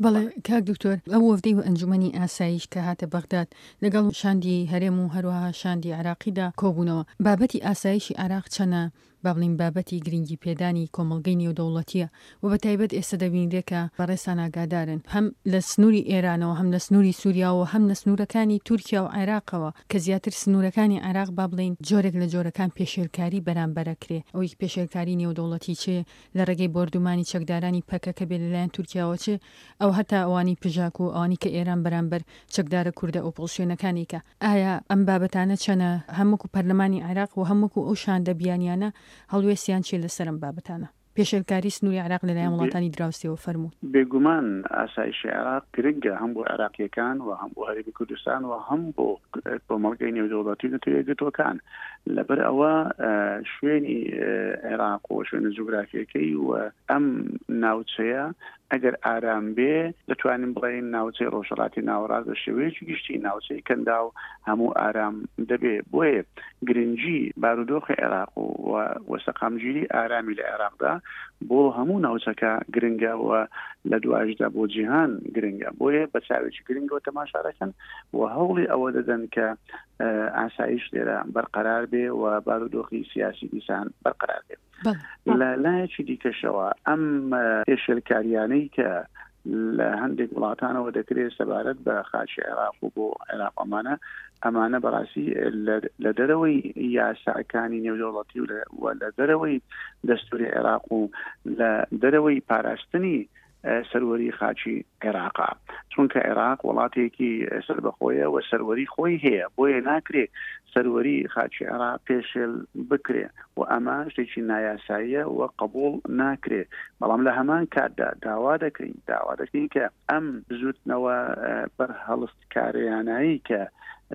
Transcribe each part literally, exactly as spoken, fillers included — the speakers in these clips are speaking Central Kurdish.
بەڵێ کاک دکتۆر، ئەو وەفدەی و ئەنجومەنی ئاسایش کە هاتە بەغداد لەگەڵ شاندی هەرێم و هەروەها شاندی عێراقیدا کۆبوونەوە، بابەتی ئاسایشی عێراق چەنە با بڵێین بابەتی گرنگی پێدانی کۆمەڵگەی نێودەوڵەتییە و بە تایبەت ئێستا دەبینرێ کە بەڕێزتان ئاگادارن هەم لە سنووری ئێرانەوە هەم لە سنووری سووریاوە هەم لە سنوورەکانی تورکیا و عێراقەوە کە زیاتر سنوورەکانی عێراق با بڵێین جۆرێک لە جۆرەکان پێشێلکاری بەرامبەر ئەکرێ، ئەوەی پێشێلکاری نێودەوڵەتی چ لە ڕێگەی بۆردومانی چەکدارانی پەکەکە بێ لەلایەن تورکیاوە چ ئەو هەتا ئەوانی پژاک و ئەوانی کە ئێران بەرامبەر چەکدارە کوردە ئۆپۆزسیۆنەکانی کە ئایا ئەم بابەتانە چەنە هەم وەکو پەرلەمانی عێراق و هەم وەکو ئەو شاندە بیانیانە هەڵوێستیان چیە لەسەر ئەم بابەتانە؟ پێشێلکاری سنووری عێراق لەلایەن وڵاتانی دراوسێوە فەرموون. بێگومان ئاسایشی عێراق گرنگە هەم بۆ عێراقییەکان و هەم بۆ هەرێمی کوردستان و هەم بۆ کۆمەڵگەی نێودەوڵەتی و نەتەوە یەکگرتووەکان. لەبەر ئەوە شوێنی عێراق و شوێنە جوگرافیەکەی و ئەم ناوچەیە ئەگەر ئارام بێ دەتوانین بڵێین ناوچەی ڕۆژهەڵاتی ناوەڕاست بە شێوەیەکی گشتی ناوچەی کەنداو هەموو ئارام دەبێ. بۆیە گرنگی بارودۆخی عێراق و و سەقامگیری ئارامی لە عێراقدا بۆ هەموو ناوچەکە گرنگە و لە دوایشدا بۆ جیهان گرنگە. بۆیە بە چاوێکی گرنگەوە تەماشا دەکەن و هەوڵی ئەوە دەدەن کە ئاسایش لێرە بەرقەرار بێ و بارودۆخی سیاسی دیسان بەرقەرار بێ. لە لایەکی دیکەشەوە ئەم پێشێلکاریانەی کە لە هەندێک وڵاتانەوە دەکرێت سەبارەت بە خاکی عێراق و بۆ عێراق ئەمانە ئەمانە بەڕاستی لە دەرەوەی یاساکانی نێودەوڵەتی و لە دەرەوەی دەستوری عێراق و لە دەرەوەی پاراستنی سەروەری خاکی عێراقا، چونکە عێراق وڵاتێکی سەربەخۆیە و سەروەری خۆی هەیە، بۆیە ناکرێ سەروەری خاکی عێراق پێشێل بکرێ و ئەمە شتێکی نایاساییە و قبوڵ ناکرێ. بەڵام لە هەمان کاتدا داوا دەکەین داوا دەکەین کە ئەم بزوتنەوە بەرهەڵستکاریانایی کە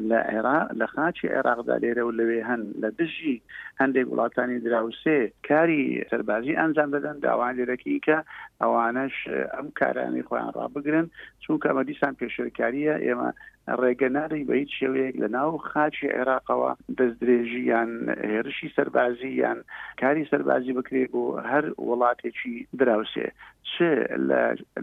لە عێراق لە خاکی عێراقدا لێرە و لەوێ هەن لە دژی هەندێک وڵاتانی دراوسێ کاری سەربازی ئەنجام دەدەن، داوایان لێ دەکەین کە ئەوانەش ئەم کارانەی خۆیان ڕابگرن، چونکە ئەمە دیسان پێشێلکارییە. ئێمە ڕێگە نادەین بە هیچ شێوەیەک لە ناو خاکی عێراقەوە دەستدرێژی یان هێرشی سەربازی یان کاری سەربازی بکرێت بۆ هەر وڵاتێکی دراوسێ، چ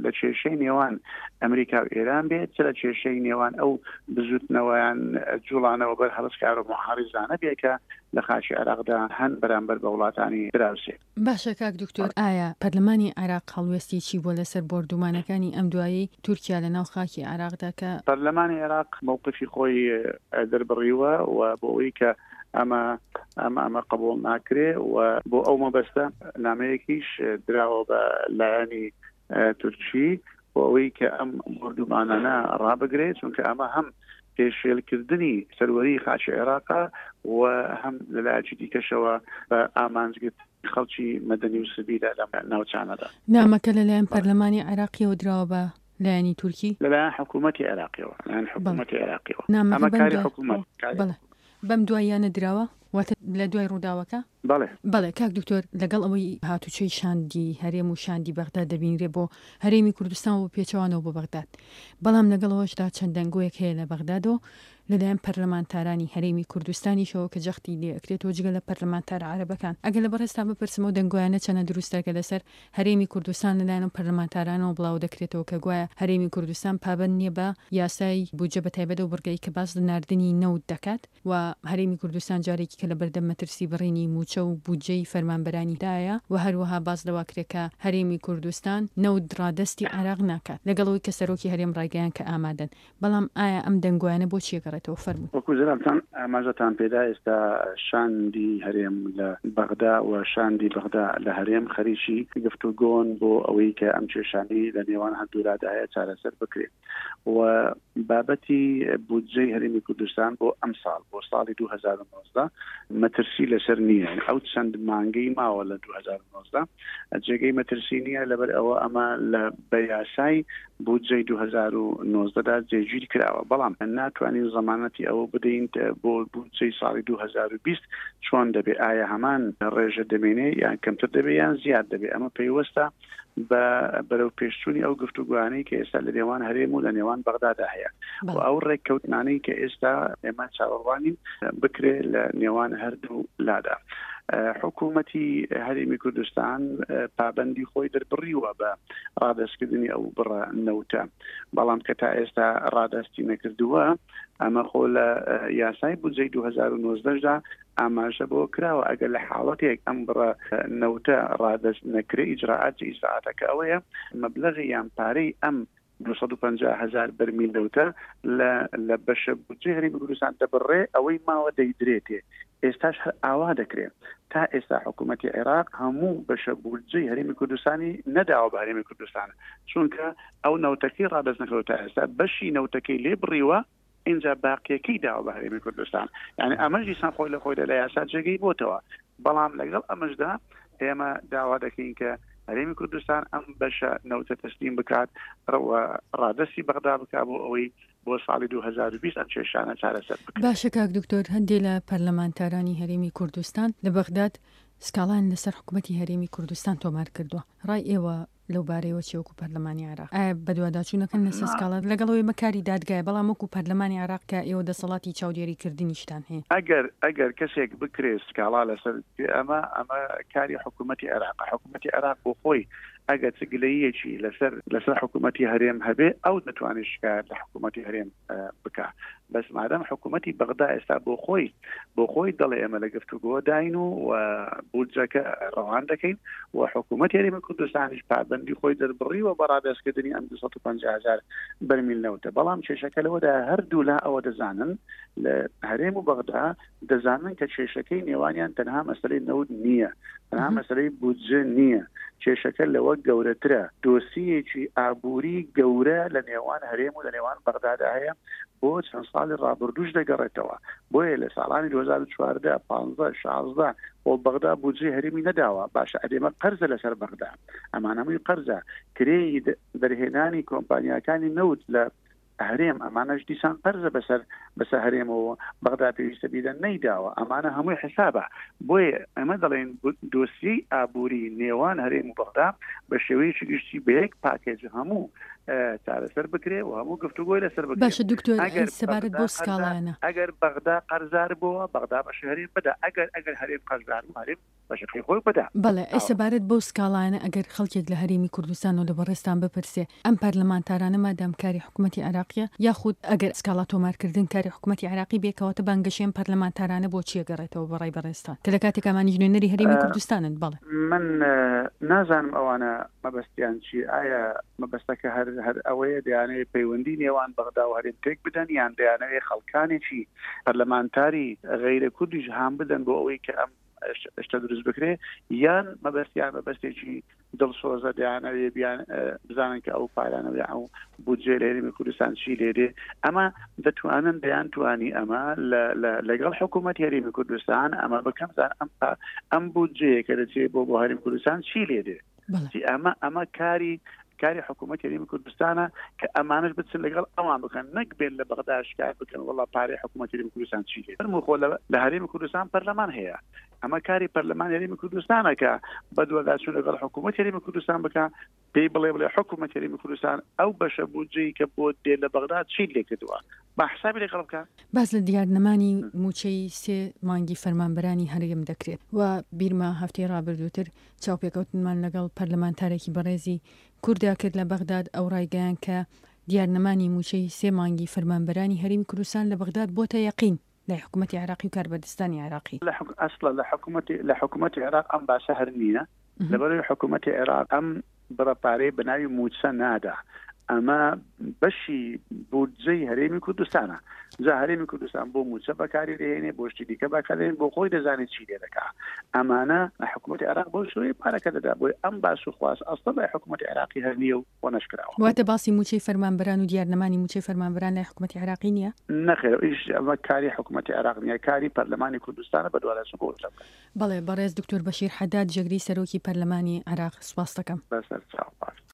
لە کێشەی نێوان ئەمریکا و ئێران بێت، چ لە کێشەی نێوان ئەو بزوتنەوەیان جوڵانەوە بەر هەڵسکار و محارزانە بێت کە لە خاکی عێراقدا هەن بەرامبەر بە وڵاتانی دراوسێ. باشە کاک دکتۆر، ئایا پەرلەمانی عێراق هەڵوێستی چی بووە لەسەر بۆردومانەکانی ئەم دوایەی تورکیا لە ناو خاکی عێراقدا کە پەرلەمانی عێراق مەوقفی خۆی دەربڕیوە و بۆ ئەوەی کە ئەمە ئەمە ئەمە قبوڵ ناکرێ و بۆ ئەو مەبەستە نامەیەکیش دراوە بە لایەنی تورکی بۆ ئەوەی کە ئەم بۆردومانانە ڕابگرێت، چونکە ئەمە هەم پێشێلکردنی سەروەری خاکی عێراقە و هەم لەلایەکی دیکەشەوە بە ئامانجگرتنی خەڵکی مەدەنی و سڤیلە لەم ناوچانەدا. نامەکە لەلایەن پەرلەمانی عێراقیەوە دراوە بە لایەنی تورکی؟ لەلایەن حکوومەتی عێراقیەوە، لەلایەن حکوومەتی عێراقیەوە. نامەکە ئەمە بەم کاری دوای حکوومەت، کاری بەڵێ بەم دواییانە دراوە؟ واتە لە دوای ڕووداوەکە؟ بەڵێ. بەڵێ کاک دکتۆر، لەگەڵ ئەوەی هاتوچۆی شاندی هەرێم و شاندی بەغداد دەبینرێ بۆ هەرێمی کوردستان و پێچەوانەوە بۆ بەغداد، بەڵام لەگەڵ ئەوەشدا چەند دەنگۆیەک هەیە لە بەغدادەوە لەلایەن پەرلەمانتارانی هەرێمی کوردستانیشەوە کە جەختی لێ ئەکرێتەوە جگە لە پەرلەمانتارە عەرەبەکان. ئەگەر لە بەڕێزتان بپرسم ئەو دەنگۆیانە چەنە دروستە کە لەسەر هەرێمی کوردستان لەلایەن ئەو پەرلەمانتارانەوە بڵاو دەکرێتەوە کە گوایە هەرێمی کوردستان پابەند نییە بە یاسای بودجە بەتایبەت ئەو بڕگەی کە باس لە ناردنی نەوت دەکات و هەرێمی کوردستان جارێکی کە لەبەردەم مەترسی بڕینی مووچە و بودجەی فەرمانبەرانی دایە و هەروەها باس لەوە کرێ کە هەرێمی کوردستان نەوت ڕادەستی عێراق ناکات لەگەڵ ئەوەی کە سەرۆکی هەرێم ڕایگەیاند کە ئامادەن، بەڵام ئایا ئەم دەنگۆیانە بۆچی ئەگەڕێتەوە؟ فەرموون. وەکو جەنابتان ئاماژەتان پێدا ئێستا شاندی هەرێم لە بەغدا و شاندی بەغدا لە هەرێم خەریکی گفتوگۆن بۆ ئەوەی کە ئەم کێشانەی لە نێوان هەردوولادا هەیە چارەسەر بکرێت و بابەتی بودجەی هەرێمی کوردستان بۆ ئەمساڵ بۆ ساڵی دوو هەزار و نۆزدە مەترسی لەسەر نییە، ئەو چەند مانگەی ماوە لە دوو هەزار و نۆزدە جێگەی مەترسی نییە، لەبەر ئەوە ئەمە لە بە یاسای بودجەی دوو هەزار و نۆزدە دا جێگیر کراوە، بەڵام ناتوانین زەمانەتی ئەوە بدەین بۆ بودجەی ساڵی دوو هەزار و بیست چۆن دەبێ، ئایا هەمان ڕێژە دەمێنێ یان کەمتر دەبێ یان زیاد دەبێ، ئەمە پەیوەستە بە بەرەو پێشچوونی ئەو گفتوگۆیانەی کە ئێستا لە نێوان هەرێم و لە نێوان بەغدادا هەیە و ئەو ڕێککەوتنانەی کە ئێستا ئێمە چاوەڕوانین بکرێ لە نێوان هەردوو لادا. حکوومەتی هەرێمی کوردستان پابەندی خۆی دەربڕیوە بە ڕادەستکردنی ئەو بڕە نەوتە، بەڵام کە تا ئێستا ڕادەستی نەکردووە، ئەمە خۆ لە یاسای بودجەی دوو هەزار و نۆزدە دا ئاماژە بۆ کراوە ئەگەر لە حاڵەتێک ئەم بڕە نەوتە ڕادەست نەکرێ ئیجراعات ئیجراعاتەکە ئەوەیە مەبلەغی یان پارەی ئەم دوو سەد و پەنجا هەزار بەرمیل نەوتە لە بەشە بودجەی هەرێمی کوردستان دەبڕێ، ئەوەی ماوە دەیدرێتێ. ئێستاش هەر ئاوا دەکرێت. تا ئێستا حکوومەتی عێراق هەموو بەشە بودجەی هەرێمی کوردستانی نەداوە بە هەرێمی کوردستان، چونکە ئەو نەوتەکەی ڕادەست نەکردووە تا ئێستا بەشی نەوتەکەی لێ بڕیوە، ئینجا باقیەکەی داوە بە هەرێمی کوردستان. یعنی ئەمەش دیسان خۆی لە خۆیدا لە یاسا جێگەی بۆتەوە، بەڵام لەگەڵ ئەمەشدا ئێمە داوا دەکەین کە هەرێمی کوردستان ئەم بەشە نەوتە تەسلیم بکات، ڕادەستی بەغدا بکات بۆ ئەوەی بۆ ساڵی دوو هەزار و بیست ئەم کێشانە چارەسەر بکرێت. باشە کاک دکتۆر، هەندێک لە پەرلەمانتارانی هەرێمی کوردستان لە بەغداد سکاڵایان لەسەر حکوومەتی هەرێمی کوردستان تۆمار کردووە، ڕای ئێوە لەو بارەیەوە چیە وەکو پەرلەمانی عێراق؟ ئایا بەدواداچوونەکەن لەسەر سکاڵا لەگەڵ ئەوەی ئەمە کاری دادگایە، بەڵام وەکو پەرلەمانی عێراق کە ئێوە دەسەڵاتی چاودێریکردنیشتان هەیە؟ ئەگەر ئەگەر کەسێک بکرێت سکاڵا لەسەر ئەمە، ئەمە کاری حکوومەتی عێراقە. حکوومەتی عێراق بۆ خۆی ئەگەر چ گلەییەکی لەسەر لەسەر حکوومەتی هەرێم هەبێ، ئەو دەتوانێت شکایەت لە حکوومەتی هەرێم بکا. بەس مادەم حکوومەتی بەغدا ئێستا بۆ خۆی بۆ خۆی دەڵێ ئێمە لە گفتوگۆداین و بودجەکە ڕەوان دەکەین و حکوومەتی هەرێمی کوردستانیش پابەندی خۆی دەربڕیوە بە ڕادەستکردنی ئەم دوو سەد و پەنجا هەزار بەرمیل نەوتە. بەڵام کێشەکە لەوەدا هەردوو لا ئەوە دەزانن، لە هەرێم و بەغدا دەزانن کە کێشەکەی نێوانیان تەنها مەسلەی نەوت نییە، تەنها مەسلەی بودجە نییە، کێشەکە لەوە گەورەترە. دۆسیەکی ئابووری گەورە لە نێوان هەرێم و لە نێوان بەغدادا هەیە، بۆ چەند ساڵی ڕابردووش دەگەڕێتەوە. بۆیە لە ساڵانی دوو هەزار و چواردە، پانزە، شازدە بۆ بەغدا بودجەی هەرێمی نەداوە. باشە ئەرێمە قەرزە لەسەر بەغدا، ئەمانە هەمووی قەرزە. کرێی دەرهێنانی کۆمپانیاکانی نەوت لە هەرێم ئەمانەش دیسان قەرزە بەسەر بەسەر هەرێمەوە، بەغدا پێویستە بیدە نەیداوە. ئەمانە هەمووی حسابە. بۆیە ئەمە دەڵێن دۆسیەی ئابووری نێوان هەرێم و بەغدا بە شێوەیەکی گشتی بە یەک پاکێج هەموو چارەسەر بکرێ و هەموو گفتوگۆی لەسەر بکرێ. باشە دکتۆر، سەبارەت بۆ سکاڵایانە، ئەگەر بەغدا قەرزار بووە بەغدا بەشی هەرێم بدا، ئەگەر ئەگەر هەرێم قەرزار بوو هەرێم بەشەکەی خۆی بدا. بەڵێ، ئەی سەبارەت بەو سکاڵایانە ئەگەر خەڵکێک لە هەرێمی کوردستان و لە بەڕێزتان بپرسێ ئەم پەرلەمانتارانە مادام کاری حکوومەتی عێراقیە، یاخود ئەگەر سکاڵا تۆمارکردن کاری حکوومەتی عێراقی بێ، کەواتە بانگەشەی ئەم پەرلەمانتارانە بۆ چییە گەڕێتەوە بە ڕای بەڕێزتان کە لە کاتێک ئەمانیش نوێنەری هەرێمی کوردستانن؟ بەڵێ من نازانم ئەوانە مەبەستیان چی. ئایا مەبەستەکە هەر هەر ئەوەیە دەیانەوێت پەیوەندی نێوان بەغدا و هەرێم تێک بدەن، یان دەیانەوێت خەڵکانێکی پەرلەمانتاری غەیرە کوردیش هام بدەن بۆ ئەوەی کە ئەم شتە دروست بکرێ، یان مەبەستیان مەبەستێکی دڵسۆزە دەیانەوێ بیان بزانن کە ئەو پارانە یا ئەو بودجێ لە هەرێمی کوردستان چی لێدێ. ئەمە دەتوانن دەیانتوانی ئەمە لەگەڵ حکوومەت هەرێمی کوردستان ئەمە بکەم زان ئەم ئەم بودجەیە کە دەچێت بۆ بۆ هەرێمی کوردستان چی لێدێ. ئەمە ئەمە کاری کاری حکوومەت هەرێمی کوردستانە کە ئەمانەش بچن لەگەڵ ئەوان بکەن، نەک بێن لە بەغدا شکایەت بکەن وەڵا پارەی حکوومەت هەرێمی کوردستان چی لێ. فەرموو خۆ لە هەرێمی کوردستان پەرلەمان هەیە، ئەمە کاری پەرلەمان هەرێمی کوردستانە کە بەدواداچوون لەگەڵ حکوومەت هەرێمی کوردستان بکە، پێی بڵێ بڵێ حکوومەت هەرێمی کوردستان ئەو بەشە بودجەی کە بۆ دێ لە بەغدا چی لێ کردووە، با حسابی لەگەڵ بکە. باس لە دیارنەمانی موچەی سێ مانگی فەرمانبەرانی هەرێم دەکرێت و بیرمە هەفتەی ڕابردووتر چاوپێکەوتنمان لەگەڵ پەرلەمانتارێکی بەڕێزی کوردا کرد لە بەغداد، ئەو ڕایگەیان کە دیارنەمانی موچەی سێ مانگی فەرمانبەرانی هەرێمی کوردستان لە بەغداد بۆتە یەقین لای حکوومەتی عێراقی و کاربەدەستانی عێراقی. ئەسڵە لە حکوومەتی عێراق ئەم باسە هەر نییە، لەبەرەوەی حکوومەتی عێراق ئەم بڕە پارەی بە ناوی موچە نادا، ئەمە بەشی بودجەی هەرێمی کوردستانە. جا هەرێمی کوردستان بۆ موچە بەکاری دەهێنێ، بۆ شتی دیکە بەکاردێنێ، بۆ خۆی دەزانێت چی لێ دەکا. ئەمانە حکوومەتی عێراق بۆ شوێ پارەکە دەدا، بۆی ئەم باس و خواست ئەسڵە لای حکوومەتی عێراقی هەر نییە و بۆ نەشکراوە. واتە باسی موچەی فەرمانبەران و دیارنەمانی موچەی فەرمانبەران لای حکوومەتی عێراقی نییە؟ نەخێر، ئیش ئەمە کاری حکوومەتی عێراق نییە، کاری پەرلەمانی کوردستانە بەدواداچوون بۆ بکات. بەڵێ، بەڕێز دکتۆر بەشیر حەداد، جێگری سەرۆکی پەرلەمانی عێراق، سوپاس دەکەم. بەسەر چاو. باش.